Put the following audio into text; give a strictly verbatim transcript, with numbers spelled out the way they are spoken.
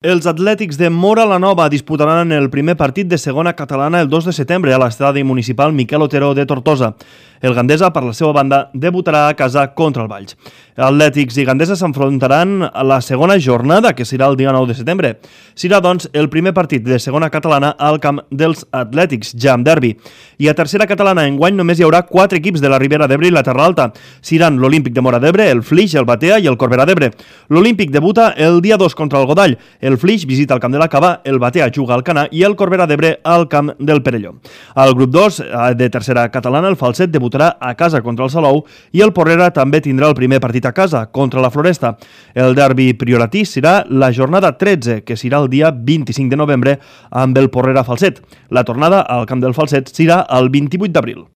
Els Atlètics de Móra la Nova disputaran el primer partit de segona catalana el dos de setembre a l'estadi municipal Miquel Otero de Tortosa. El Gandesa, per la seva banda, debutarà a casa contra el Valls. Atlètics i Gandesa s'enfrontaran a la segona jornada, que serà el dia nou de setembre. Serà, doncs, el primer partit de segona catalana al camp dels Atlètics, ja amb derbi. I a tercera catalana, enguany només hi haurà quatre equips de la Ribera d'Ebre i la Terra Alta. Seran l'Olímpic de Móra d'Ebre, el Flix, el Batea i el Corbera d'Ebre. L'Olímpic debuta el dia dos contra el Godall. El Flix visita el camp de la Cava, el Batea juga al Canà i el Corbera d'Ebre al camp del Perelló. Al grup dos de tercera catalana, el Falset debutarà a casa contra el Salou i el Porrera també tindrà el primer partit a casa contra la Floresta. El derbi prioratí serà la jornada tretze, que serà el dia vint-i-cinc de novembre amb el Porrera Falset. La tornada al camp del Falset serà el vint-i-vuit d'abril.